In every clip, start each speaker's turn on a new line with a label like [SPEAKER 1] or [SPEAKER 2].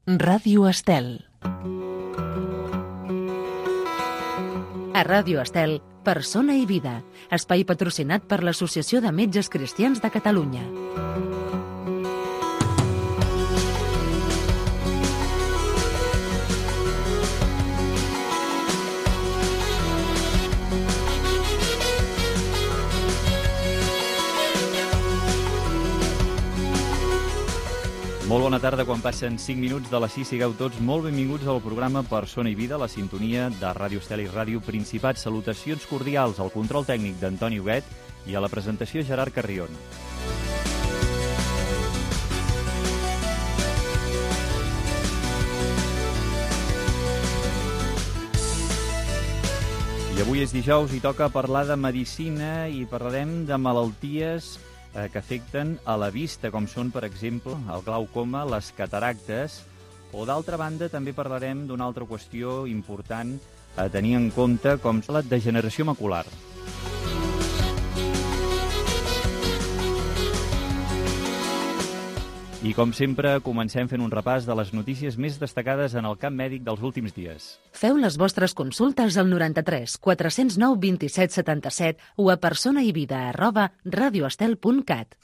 [SPEAKER 1] Ràdio Estel. A Ràdio Estel, Persona i Vida, espai patrocinat per l'Associació de Metges Cristians de Catalunya.
[SPEAKER 2] Molt bona tarda, quan passen 5 minuts de les 6, sigueu tots molt benvinguts al programa Persona i Vida, la sintonia de Ràdio Estel i Ràdio Principat. Salutacions cordials al control tècnic d'Antoni Huguet i a la presentació Gerard Carrion. I avui és dijous i toca parlar de medicina i parlarem de malalties que afecten a la vista, com són, per exemple, el glaucoma, les cataractes, o d'altra banda també parlarem d'una altra qüestió important a tenir en compte, com la degeneració macular. I com sempre, comencem fent un repàs de les notícies més destacades en el camp mèdic dels últims dies.
[SPEAKER 1] Feu les vostres consultes al 93 409 27 77 o a personaivida@radioestel.cat.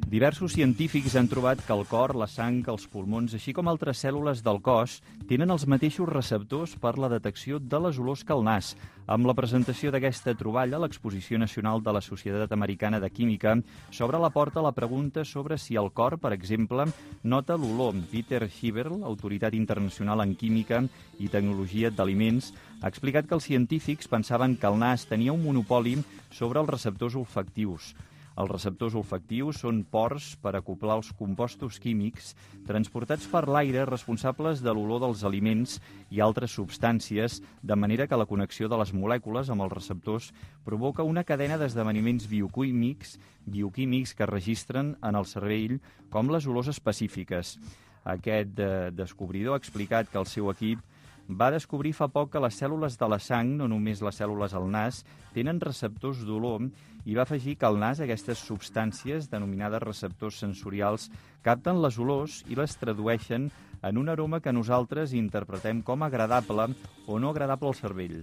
[SPEAKER 2] Diversos científics han trobat que el cor, la sang, els pulmons, així com altres cèl·lules del cos, tenen els mateixos receptors per la detecció de les olors que el nas. Amb la presentació d'aquesta troballa, l'Exposició Nacional de la Societat Americana de Química s'obre la porta a la pregunta sobre si el cor, per exemple, nota l'olor. Peter Schiberl, autoritat internacional en química i tecnologia d'aliments, ha explicat que els científics pensaven que el nas tenia un monopoli sobre els receptors olfactius. Els receptors olfactius són pors per acoblar els compostos químics transportats per l'aire responsables de l'olor dels aliments i altres substàncies, de manera que la connexió de les molècules amb els receptors provoca una cadena d'esdeveniments bioquímics que registren en el cervell com les olors específiques. Aquest descobridor ha explicat que el seu equip va descobrir fa poc que les cèl·lules de la sang, no només les cèl·lules al nas, tenen receptors d'olor i va afegir que al nas aquestes substàncies, denominades receptors sensorials, capten les olors i les tradueixen en un aroma que nosaltres interpretem com agradable o no agradable al cervell.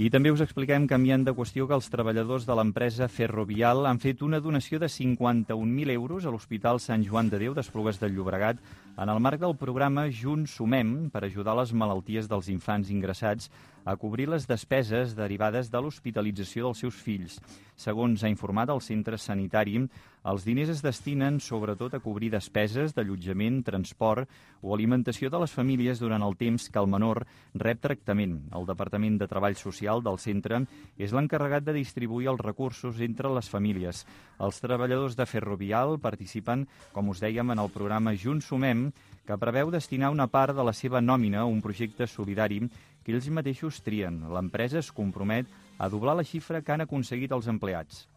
[SPEAKER 2] I també us expliquem, canviant de qüestió, que els treballadors de l'empresa Ferrovial han fet una donació de 51.000 euros a l'Hospital Sant Joan de Déu d'Esplugues del Llobregat en el marc del programa Junts Sumem per ajudar les malalties dels infants ingressats a cobrir les despeses derivades de l'hospitalització dels seus fills. Segons ha informat el centre sanitari, els diners es destinen sobretot a cobrir despeses d'allotjament, transport o alimentació de les famílies durant el temps que el menor rep tractament. El Departament de Treball Social del centre és l'encarregat de distribuir els recursos entre les famílies. Els treballadors de Ferrovial participen, com us dèiem, en el programa Junts Sumem, que preveu destinar una part de la seva nòmina a un projecte solidari que ells mateixos trien. L'empresa es compromet a doblar la xifra que han aconseguit els empleats.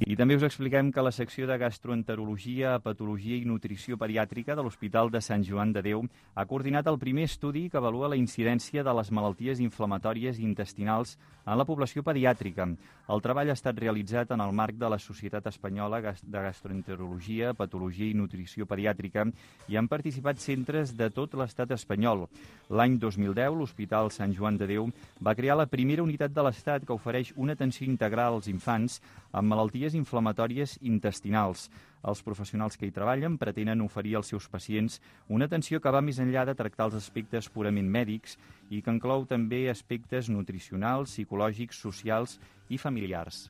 [SPEAKER 2] I també us expliquem que la secció de gastroenterologia, patologia i nutrició pediàtrica de l'Hospital de Sant Joan de Déu ha coordinat el primer estudi que avalua la incidència de les malalties inflamatòries intestinals en la població pediàtrica. El treball ha estat realitzat en el marc de la Societat Espanyola de Gastroenterologia, Patologia i Nutrició Pediàtrica i han participat centres de tot l'estat espanyol. L'any 2010, l'Hospital Sant Joan de Déu va crear la primera unitat de l'estat que ofereix una atenció integral als infants amb malalties inflamatòries intestinals. Els professionals que hi treballen pretenen oferir als seus pacients una atenció que va més enllà de tractar els aspectes purament mèdics i que inclou també aspectes nutricionals, psicològics, socials i familiars.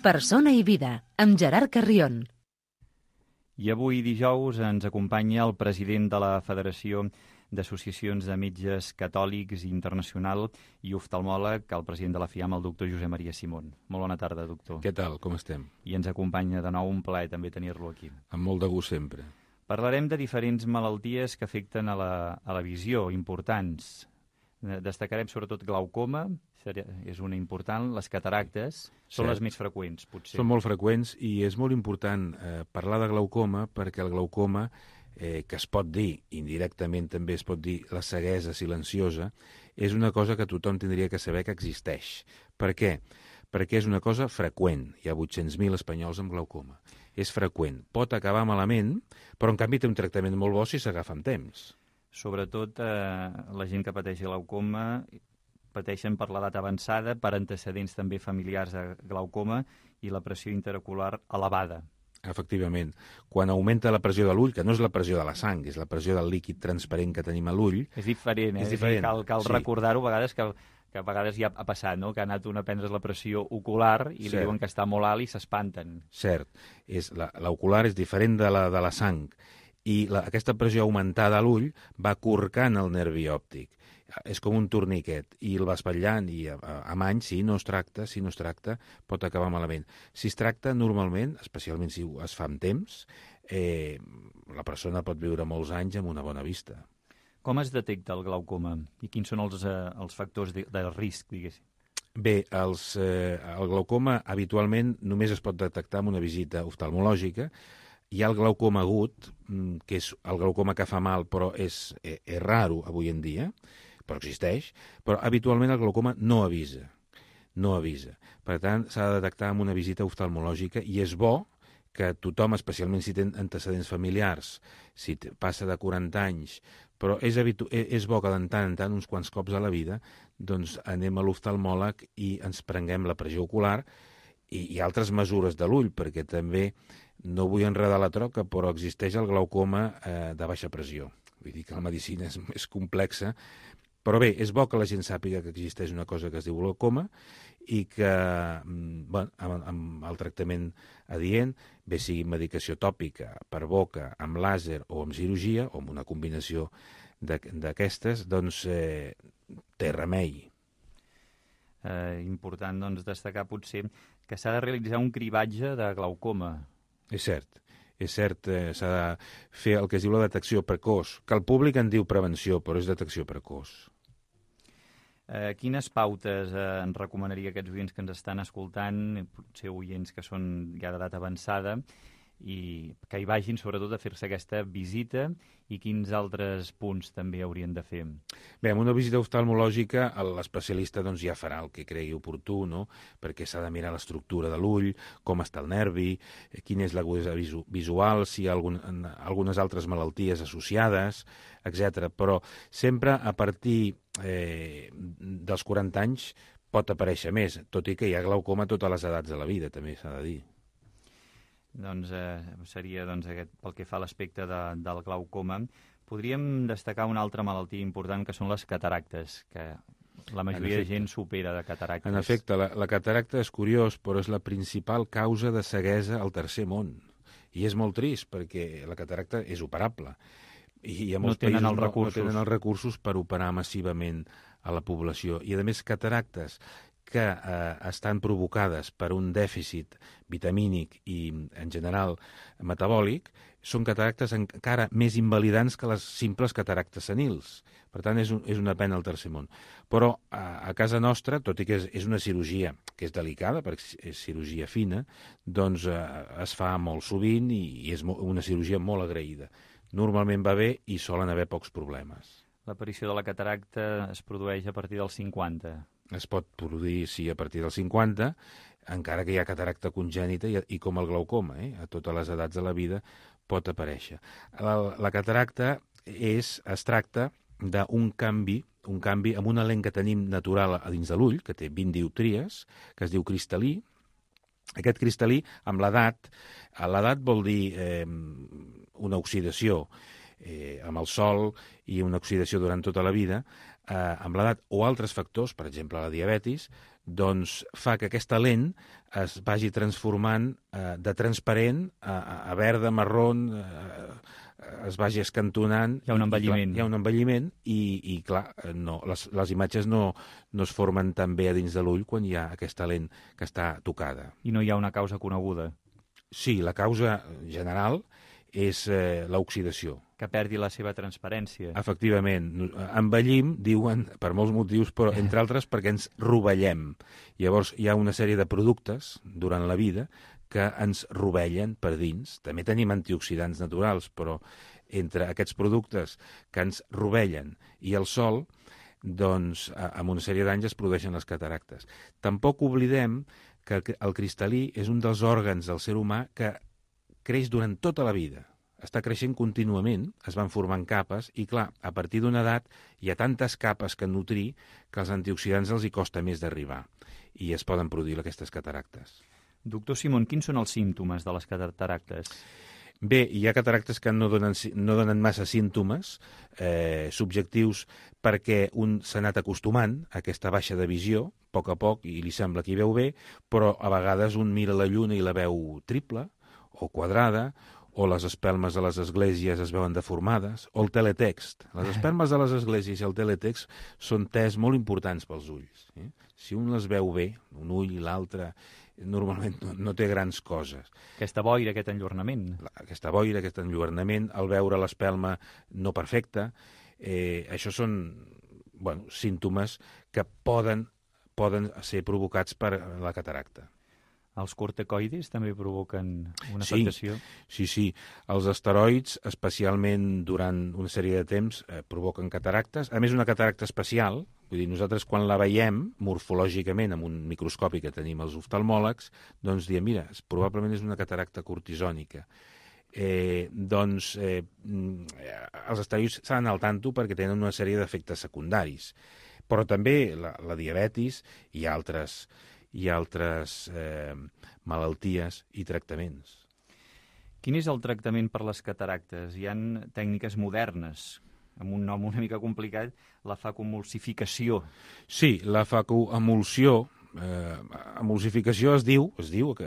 [SPEAKER 1] Persona i Vida, amb Gerard Carrion.
[SPEAKER 2] I avui dijous ens acompanya el president de la Federació d'Associacions de Metges Catòlics Internacional i oftalmòleg, el president de la FIAM, el doctor Josep Maria Simón. Molt bona tarda, doctor.
[SPEAKER 3] Què tal? Com estem?
[SPEAKER 2] I ens acompanya de nou, un plaer també tenir-lo aquí.
[SPEAKER 3] Amb molt de gust sempre.
[SPEAKER 2] Parlarem de diferents malalties que afecten a la visió, importants. Destacarem sobretot glaucoma, és una important, les cataractes són les més freqüents, potser.
[SPEAKER 3] Són molt freqüents i és molt important parlar de glaucoma perquè el glaucoma, que es pot dir, indirectament també es pot dir la ceguesa silenciosa, és una cosa que tothom tindria que saber que existeix. Per què? Perquè és una cosa freqüent. Hi ha 800.000 espanyols amb glaucoma. És freqüent. Pot acabar malament, però en canvi té un tractament molt bo si s'agafa amb temps.
[SPEAKER 2] Sobretot la gent que pateix glaucoma pateixen per l'edat avançada, per antecedents també familiars de glaucoma i la pressió interocular elevada.
[SPEAKER 3] Efectivament. Quan augmenta la pressió de l'ull, que no és la pressió de la sang, és la pressió del líquid transparent que tenim a l'ull...
[SPEAKER 2] És diferent,
[SPEAKER 3] És diferent.
[SPEAKER 2] Cal recordar-ho a vegades que a vegades ja ha passat, no? Que ha anat un a prendre's la pressió ocular i li diuen que està molt alt i s'espanten.
[SPEAKER 3] Cert. L'ocular és diferent de la sang i aquesta pressió augmentada a l'ull va corcant el nervi òptic. És com un torniquet i el va espatllant i amb anys, si no es tracta, pot acabar malament. Si es tracta normalment, especialment si es fa amb temps, la persona pot viure molts anys amb una bona vista.
[SPEAKER 2] Com es detecta el glaucoma i quins són els factors de risc, diguéssim?
[SPEAKER 3] Bé, el glaucoma habitualment només es pot detectar amb una visita oftalmològica. Hi ha el glaucoma agut, que és el glaucoma que fa mal, però és raro avui en dia, però existeix, però habitualment el glaucoma no avisa. Per tant, s'ha de detectar amb una visita oftalmològica i és bo que tothom, especialment si té antecedents familiars, si passa de 40 anys, però és bo que de tant en tant, uns quants cops a la vida, doncs anem a l'oftalmòleg i ens prenguem la pressió ocular i altres mesures de l'ull, perquè també, no vull enredar la troca, però existeix el glaucoma de baixa pressió. Vull dir que la medicina és més complexa, però bé, és bo que la gent sàpiga que existeix una cosa que es diu glaucoma i que amb el tractament adient, bé sigui medicació tòpica, per boca, amb làser o amb cirurgia, o amb una combinació d'aquestes, doncs té remei.
[SPEAKER 2] Important destacar potser que s'ha de realitzar un cribatge de glaucoma.
[SPEAKER 3] És cert, s'ha de fer el que es diu la detecció precoç, que el públic en diu prevenció, però és detecció precoç.
[SPEAKER 2] Quines pautes ens recomanaria a aquests oients que ens estan escoltant, potser oients que són ja d'edat avançada, i que hi vagin sobretot a fer-se aquesta visita i quins altres punts també haurien de fer?
[SPEAKER 3] Bé, amb una visita oftalmològica l'especialista ja farà el que cregui oportú, no? Perquè s'ha de mirar l'estructura de l'ull, com està el nervi, quina és l'agudesa visual, si hi ha algunes altres malalties associades, etc. Però sempre a partir dels 40 anys pot aparèixer més, tot i que hi ha glaucoma a totes les edats de la vida, també s'ha de dir.
[SPEAKER 2] Doncs seria aquest, pel que fa a l'aspecte del glaucoma. Podríem destacar una altra malaltia important que són les cataractes, que la majoria de gent supera de cataractes.
[SPEAKER 3] En efecte, la cataracta és curiós, però és la principal causa de ceguesa al tercer món. I és molt trist, perquè la cataracta és operable. I a molts països no tenen els recursos per operar massivament a la població. I, a més, cataractes que estan provocades per un dèficit vitamínic i, en general, metabòlic, són cataractes encara més invalidants que les simples cataractes senils. Per tant, és una pena al tercer món. Però a casa nostra, tot i que és una cirurgia que és delicada, perquè és cirurgia fina, doncs es fa molt sovint i és una cirurgia molt agraïda. Normalment va bé i solen haver pocs problemes.
[SPEAKER 2] L'aparició de la cataracta es produeix a partir dels 50.
[SPEAKER 3] Es pot produir, sí, a partir dels 50, encara que hi ha cataracta congènita i com el glaucoma, a totes les edats de la vida pot aparèixer. La cataracta es tracta d'un canvi amb una lent que tenim natural a dins de l'ull, que té 20 dioptries, que es diu cristal·lí. Aquest cristal·lí, amb l'edat vol dir una oxidació amb el sol i una oxidació durant tota la vida, amb l'edat o altres factors, per exemple la diabetis, doncs fa que aquesta lent es vagi transformant de transparent a verda, marrón, es vagi escantonant.
[SPEAKER 2] Hi ha un envelliment.
[SPEAKER 3] Hi ha un envelliment i clar, les imatges no es formen tan bé a dins de l'ull quan hi ha aquesta lent que està tocada.
[SPEAKER 2] I no hi ha una causa coneguda?
[SPEAKER 3] Sí, la causa general és l'oxidació.
[SPEAKER 2] Que perdi la seva transparència.
[SPEAKER 3] Efectivament. Envellim, diuen, per molts motius, però entre altres perquè ens rovellem. Llavors hi ha una sèrie de productes durant la vida que ens rovellen per dins. També tenim antioxidants naturals, però entre aquests productes que ens rovellen i el sol, doncs amb una sèrie d'anys es produeixen les cataractes. Tampoc oblidem que el cristal·lí és un dels òrgans del ser humà que creix durant tota la vida. Està creixent contínuament, es van formant capes, i clar, a partir d'una edat hi ha tantes capes que nutrir que als antioxidants els hi costa més d'arribar i es poden produir aquestes cataractes.
[SPEAKER 2] Doctor Simón, quins són els símptomes de les cataractes?
[SPEAKER 3] Bé, hi ha cataractes que no donen massa símptomes subjectius perquè un s'ha anat acostumant a aquesta baixa de visió, a poc, i li sembla que hi veu bé, però a vegades un mira la lluna i la veu triple o quadrada, o les espelmes de les esglésies es veuen deformades, o el teletext. Les espelmes de les esglésies i el teletext són tests molt importants pels ulls. Si un les veu bé, un ull i l'altre, normalment no té grans coses.
[SPEAKER 2] Aquesta boira, aquest enlluernament.
[SPEAKER 3] Aquesta boira, aquest enlluernament, al veure l'espelma no perfecta, això són símptomes que poden ser provocats per la cataracta.
[SPEAKER 2] Els corticoides també provoquen una afectació?
[SPEAKER 3] Sí. Els esteroids, especialment durant una sèrie de temps, provoquen cataractes. A més, una cataracta especial, vull dir, nosaltres quan la veiem morfològicament amb un microscopi que tenim els oftalmòlegs, doncs diem, mira, probablement és una cataracta cortisònica. Els esteroids s'han d'anar al tanto perquè tenen una sèrie d'efectes secundaris. Però també la diabetis i altres malalties i tractaments.
[SPEAKER 2] Quin és el tractament per les cataractes? Hi ha tècniques modernes, amb un nom una mica complicat, la facoemulsificació.
[SPEAKER 3] Sí, la facoemulsió, emulsificació es diu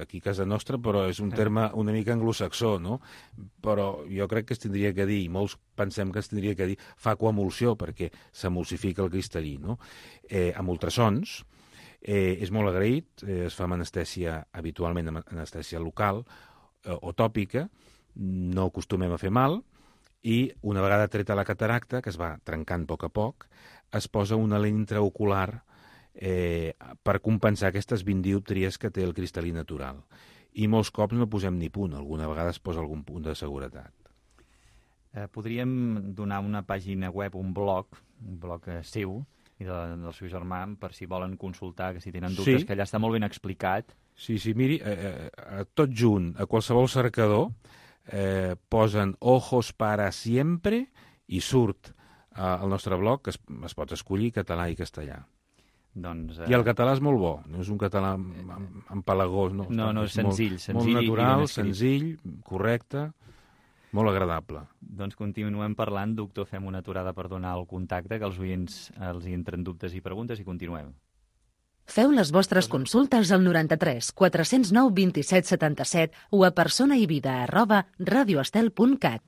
[SPEAKER 3] aquí a casa nostra, però és un terme una mica anglosaxó, no? Però jo crec que es tindria que dir, i molts pensem que es tindria que dir facoemulsió, perquè s'emulsifica el cristal·lí, no? Amb ultrasons. És molt agraït, es fa amb anestèsia, habitualment amb anestèsia local o tòpica, no acostumem a fer mal, i una vegada treta la cataracta, que es va trencant a poc, es posa una lent intraocular per compensar aquestes 20 dioptries que té el cristal·lí natural. I molts cops no posem ni punt, alguna vegada es posa algun punt de seguretat.
[SPEAKER 2] Podríem donar una pàgina web, un blog seu, i del seu germà, per si volen consultar, que si tenen dubtes, que allà està molt ben explicat.
[SPEAKER 3] Sí, miri, tot junt, a qualsevol cercador, posen Ojos para siempre i surt al nostre blog, que es pot escollir català i castellà. I el català és molt bo, no és un català empalagós.
[SPEAKER 2] No, és senzill.
[SPEAKER 3] Molt natural, senzill, correcte, molt agradable.
[SPEAKER 2] Doncs continuem parlant, doctor, fem una aturada per donar el contacte, que els oients els hi entren dubtes i preguntes, i continuem.
[SPEAKER 1] Feu les vostres consultes al 93 409 27 77 o a personaivida@radioestel.cat.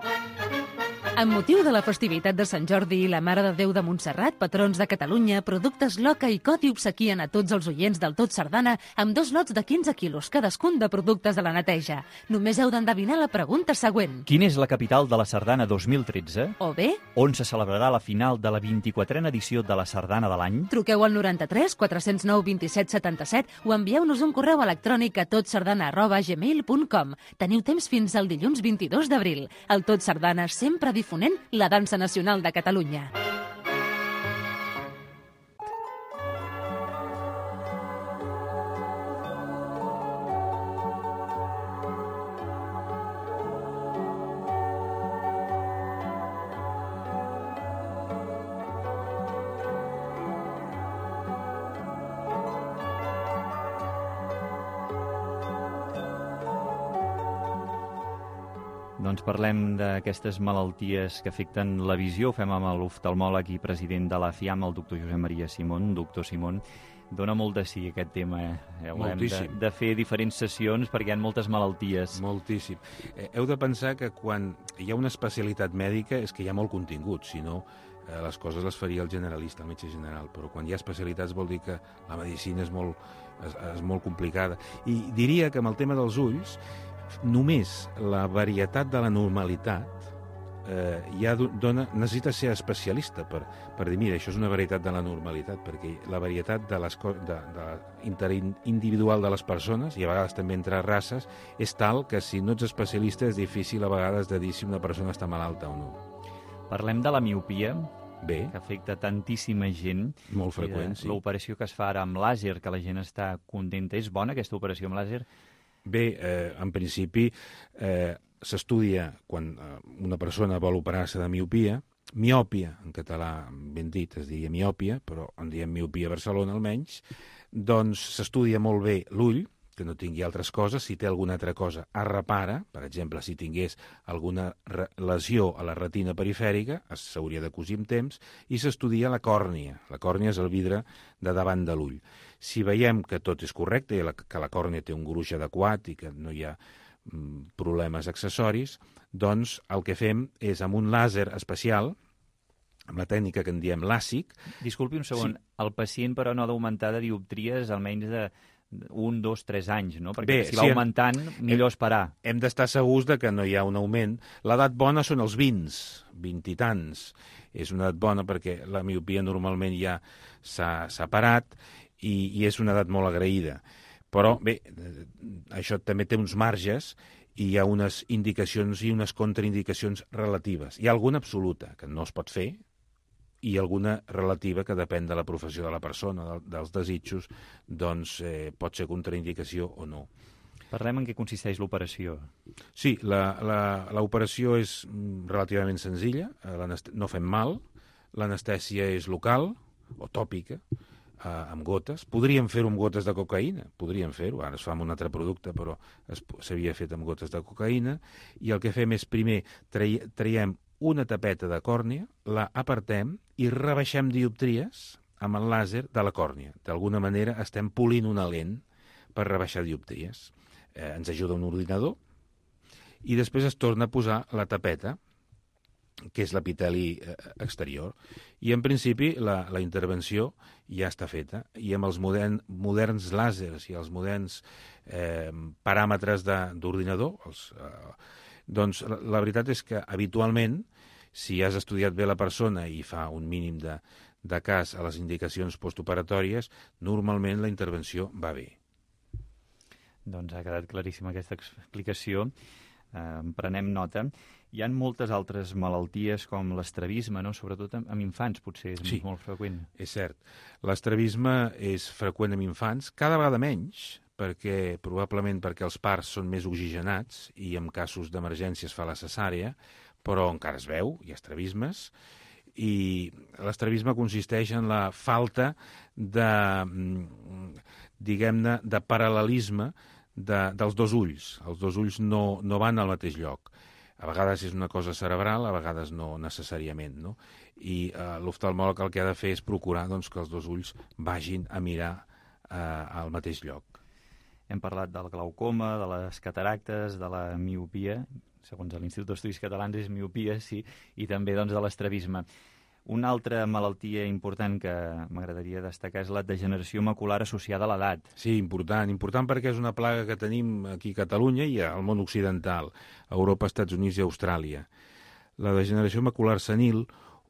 [SPEAKER 1] Amb motiu de la festivitat de Sant Jordi i la Mare de Déu de Montserrat, patrons de Catalunya, Productes Loca i Coti obsequien a tots els oients del Tot Sardana amb 2 lots de 15 quilos cadascun de productes de la neteja. Només heu d'endevinar la pregunta següent.
[SPEAKER 2] Quina és la capital de la Sardana 2013?
[SPEAKER 1] O bé,
[SPEAKER 2] on se celebrarà la final de la 24a edició de la Sardana de l'any?
[SPEAKER 1] Truqueu al 93 409 27 77 o envieu-nos un correu electrònic a totsardana@gmail.com. Teniu temps fins al dilluns 22 d'abril. El Tot Sardana sempre difonent la dansa nacional de Catalunya.
[SPEAKER 2] Doncs parlem d'aquestes malalties que afecten la visió. Ho fem amb l'oftalmòleg i president de la FIAM, el doctor Josep Maria Simón. Doctor Simón, dona molt de sí aquest tema. Haurem de fer diferents sessions perquè hi ha moltes malalties.
[SPEAKER 3] Moltíssim. Heu de pensar que quan hi ha una especialitat mèdica és que hi ha molt contingut, si no les coses les faria el generalista, el metge general, però quan hi ha especialitats vol dir que la medicina és molt complicada. I diria que amb el tema dels ulls Només la varietat de la normalitat ja necessita ser especialista per dir, mira, això és una varietat de la normalitat, perquè la varietat interindividual de les persones, i a vegades també entre races, és tal que si no ets especialista és difícil a vegades de dir si una persona està malalta o no.
[SPEAKER 2] Parlem de la miopia,
[SPEAKER 3] Bé,
[SPEAKER 2] que afecta tantíssima gent.
[SPEAKER 3] molt freqüent, sí.
[SPEAKER 2] L'operació que es fa ara amb làser, que la gent està contenta, és bona aquesta operació amb làser?
[SPEAKER 3] Bé, en principi s'estudia quan una persona vol operar-se de miopia, en català ben dit es diria miòpia, però en diem miopia a Barcelona almenys, doncs s'estudia molt bé l'ull, que no tingui altres coses, si té alguna altra cosa es repara, per exemple, si tingués alguna lesió a la retina perifèrica, s'hauria de cosir amb temps, i s'estudia la còrnia. La còrnia és el vidre de davant de l'ull. Si veiem que tot és correcte, que la còrnia té un gruix adequat i que no hi ha problemes accessoris, doncs el que fem és amb un làser especial, amb la tècnica que en diem làsic.
[SPEAKER 2] Disculpi un segon, sí. El pacient però no ha d'augmentar de dioptries almenys de 1, 2, 3 anys, no? Perquè
[SPEAKER 3] bé,
[SPEAKER 2] si va augmentant, millor esperar.
[SPEAKER 3] Hem d'estar segurs de que no hi ha un augment. L'edat bona són els 20 i tants. És una edat bona perquè la miopia normalment ja s'ha parat i és una edat molt agraïda. Però, bé, això també té uns marges i hi ha unes indicacions i unes contraindicacions relatives. Hi ha alguna absoluta, que no es pot fer, i alguna relativa que depèn de la professió de la persona, dels desitjos, doncs pot ser contraindicació o no.
[SPEAKER 2] Parlem en què consisteix l'operació.
[SPEAKER 3] Sí, l'operació és relativament senzilla, no fem mal, l'anestèsia és local o tòpica, amb gotes. Podríem fer-ho amb gotes de cocaïna, podríem fer-ho, ara es fa amb un altre producte, però s'havia fet amb gotes de cocaïna, i el que fem és primer traiem una tapeta de còrnia, la apartem i rebaixem dioptries amb el làser de la còrnia. D'alguna manera estem polint una lent per rebaixar dioptries. Ens ajuda un ordinador i després es torna a posar la tapeta, que és l'epiteli exterior. I en principi la intervenció ja està feta i amb els moderns làsers i els moderns paràmetres d'ordinador, doncs la veritat és que habitualment, si has estudiat bé la persona i fa un mínim de cas a les indicacions postoperatòries, normalment la intervenció va bé.
[SPEAKER 2] Doncs ha quedat claríssima aquesta explicació. Prenem nota. Hi ha moltes altres malalties com l'estrabisme, no? Sobretot amb infants, potser és molt freqüent.
[SPEAKER 3] És cert. L'estrabisme és freqüent amb infants, cada vegada menys, probablement perquè els parts són més oxigenats i en casos d'emergència es fa la cesària, però encara es veu, hi ha estrabismes, i l'estrabisme consisteix en la falta diguem-ne, de paral·lelisme dels dos ulls. Els dos ulls no van al mateix lloc. A vegades és una cosa cerebral, a vegades no necessàriament, no? I l'oftalmòleg el que ha de fer és procurar que els dos ulls vagin a mirar al mateix lloc.
[SPEAKER 2] Hem parlat del glaucoma, de les cataractes, de la miopia, segons l'Institut d'Estudis Catalans és miopia, sí, i també de l'estrabisme. Una altra malaltia important que m'agradaria destacar és la degeneració macular associada a l'edat.
[SPEAKER 3] Sí, important perquè és una plaga que tenim aquí a Catalunya i al món occidental, a Europa, Estats Units i Austràlia. La degeneració macular senil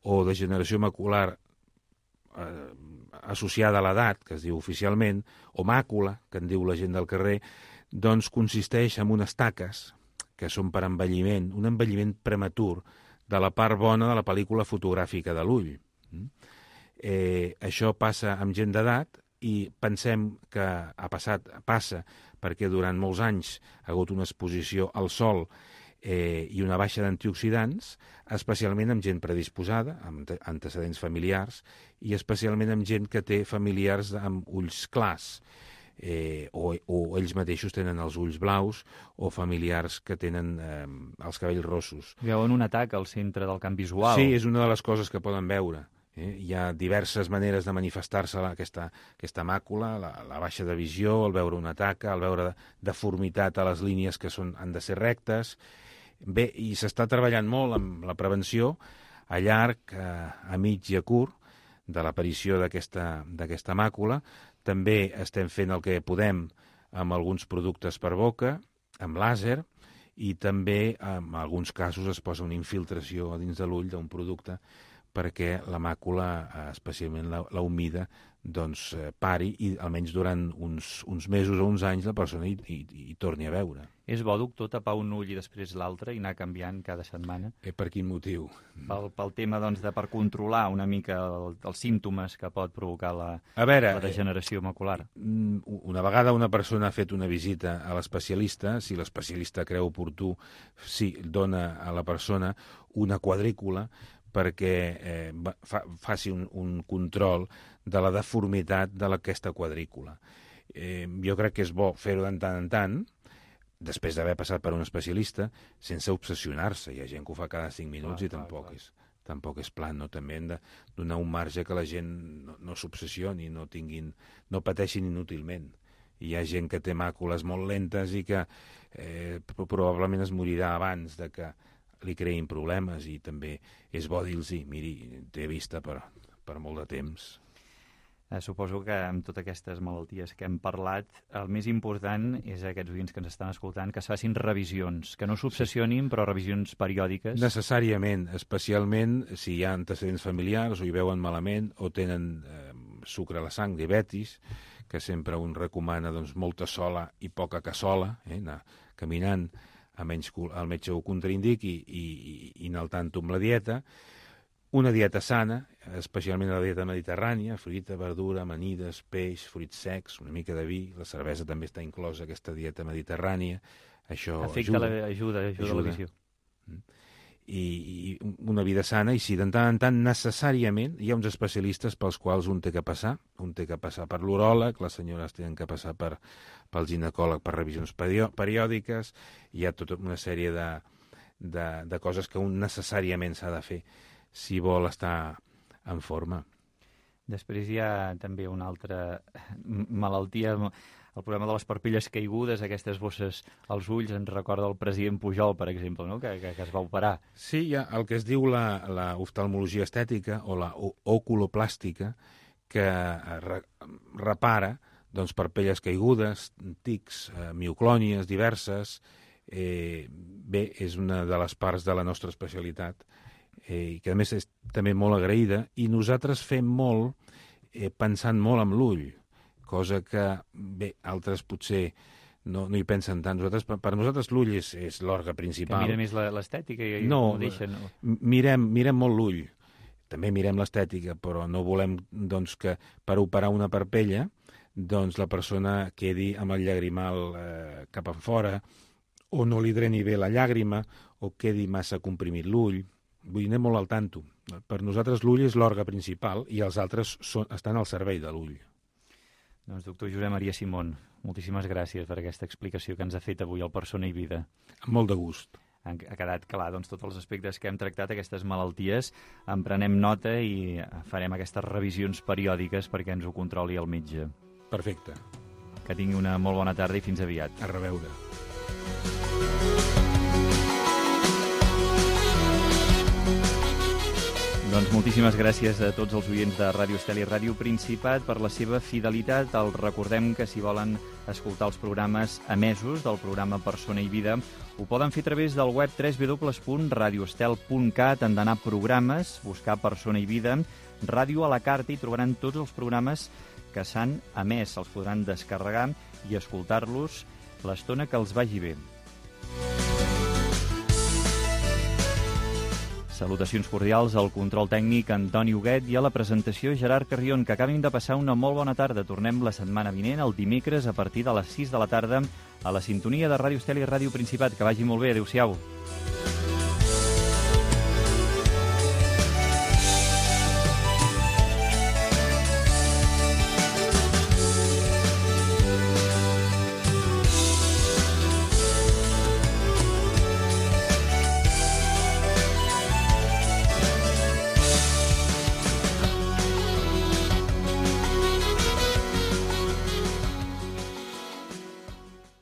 [SPEAKER 3] o degeneració macular associada a l'edat, que es diu oficialment, o màcula, que en diu la gent del carrer, doncs consisteix en unes taques que són per envelliment, un envelliment prematur de la part bona de la pel·lícula fotogràfica de l'ull. Això passa amb gent d'edat i pensem que passa perquè durant molts anys ha hagut una exposició al sol i una baixa d'antioxidants, especialment amb gent predisposada, amb antecedents familiars, i especialment amb gent que té familiars amb ulls clars, o ells mateixos tenen els ulls blaus, o familiars que tenen els cabells rossos.
[SPEAKER 2] Veuen un atac al centre del camp visual.
[SPEAKER 3] Sí, és una de les coses que poden veure. Hi ha diverses maneres de manifestar-se aquesta màcula, la baixa de visió, el veure una taca, el veure deformitat a les línies que han de ser rectes. Bé, i s'està treballant molt amb la prevenció a llarg, a mig i a curt de l'aparició d'aquesta màcula. També estem fent el que podem amb alguns productes per boca amb làser, i també en alguns casos es posa una infiltració a dins de l'ull d'un producte perquè la màcula, especialment la humida, doncs pari i almenys durant uns mesos o uns anys la persona hi torni a veure.
[SPEAKER 2] És bo, doctor, tapar un ull i després l'altre i anar canviant cada setmana?
[SPEAKER 3] Per quin motiu?
[SPEAKER 2] Pel tema, doncs, per controlar una mica els símptomes que pot provocar la degeneració macular.
[SPEAKER 3] Una vegada una persona ha fet una visita a l'especialista, si l'especialista creu oportú, sí, dona a la persona una quadrícula perquè faci un control de la deformitat d'aquesta quadrícula. Jo crec que és bo fer-ho de tant en tant, després d'haver passat per un especialista, sense obsessionar-se. Hi ha gent que ho fa cada 5 minuts i tampoc és plan, no? També hem de donar un marge que la gent no s'obsessioni, no pateixin inútilment. Hi ha gent que té màcules molt lentes i que probablement es morirà abans de que li creïn problemes, i també és bo dir-los, miri, té vista per molt de temps.
[SPEAKER 2] Suposo que amb totes aquestes malalties que hem parlat, el més important és a aquests oients que ens estan escoltant que es facin revisions, que no s'obsessionin, però revisions periòdiques.
[SPEAKER 3] Necessàriament, especialment si hi ha antecedents familiars o hi veuen malament o tenen sucre a la sang, diabetis, que sempre un recomana molta sola i poca cassola, anar caminant a menys que el metge ho contraindiqui i anar al tanto amb la dieta. Una dieta sana, especialment la dieta mediterrània, fruita, verdura, amanides, peix, fruits secs, una mica de vi, la cervesa també està inclosa a aquesta dieta mediterrània. Això
[SPEAKER 2] ajuda la visió.
[SPEAKER 3] I una vida sana, i si de tant en tant necessàriament hi ha uns especialistes pels quals un té que passar per l'uròleg, les senyores tenen que passar pel ginecòleg per revisions periòdiques, hi ha tota una sèrie de coses que un necessàriament s'ha de fer si vol estar en forma.
[SPEAKER 2] Després hi ha també una altra malaltia, el problema de les parpelles caigudes, aquestes bosses als ulls, ens recorda el president Pujol, per exemple, no? que es va operar.
[SPEAKER 3] Sí, hi ha el que es diu la oftalmologia estètica o la oculoplàstica, que repara parpelles caigudes, tics, mioclònies diverses. Bé, és una de les parts de la nostra especialitat, i que a més és també molt agraïda, i nosaltres fem molt pensant molt amb l'ull, cosa que, bé, altres potser no hi pensen tant. Per nosaltres l'ull és l'òrgan principal.
[SPEAKER 2] Que mira més l'estètica i
[SPEAKER 3] no,
[SPEAKER 2] ho deixen. No?
[SPEAKER 3] Mirem molt l'ull. També mirem l'estètica, però no volem que per operar una parpella la persona quedi amb el llagrimal cap enfora, o no li dreni bé la llàgrima, o quedi massa comprimit l'ull. Vull dir, anem molt al tanto. Per nosaltres l'ull és l'òrgan principal i els altres estan al servei de l'ull.
[SPEAKER 2] Doncs, doctor Josep Maria Simón, moltíssimes gràcies per aquesta explicació que ens ha fet avui al Persona i Vida.
[SPEAKER 3] Amb molt de gust.
[SPEAKER 2] Ha quedat clar tots els aspectes que hem tractat, aquestes malalties. En prenem nota i farem aquestes revisions periòdiques perquè ens ho controli el metge.
[SPEAKER 3] Perfecte.
[SPEAKER 2] Que tingui una molt bona tarda i fins aviat.
[SPEAKER 3] A reveure.
[SPEAKER 2] Doncs moltíssimes gràcies a tots els oients de Ràdio Estel i Ràdio Principat per la seva fidelitat. Els recordem que si volen escoltar els programes emesos del programa Persona i Vida ho poden fer a través del web www.radioestel.cat, han d'anar a programes, buscar Persona i Vida, ràdio a la carta, i trobaran tots els programes que s'han emès. Els podran descarregar i escoltar-los l'estona que els vagi bé. Salutacions cordials al control tècnic Antoni Huguet i a la presentació Gerard Carrion. Que acabin de passar una molt bona tarda. Tornem la setmana vinent, el dimecres, a partir de les 6 de la tarda, a la sintonia de Ràdio Estel i Ràdio Principat. Que vagi molt bé. Adéu-siau.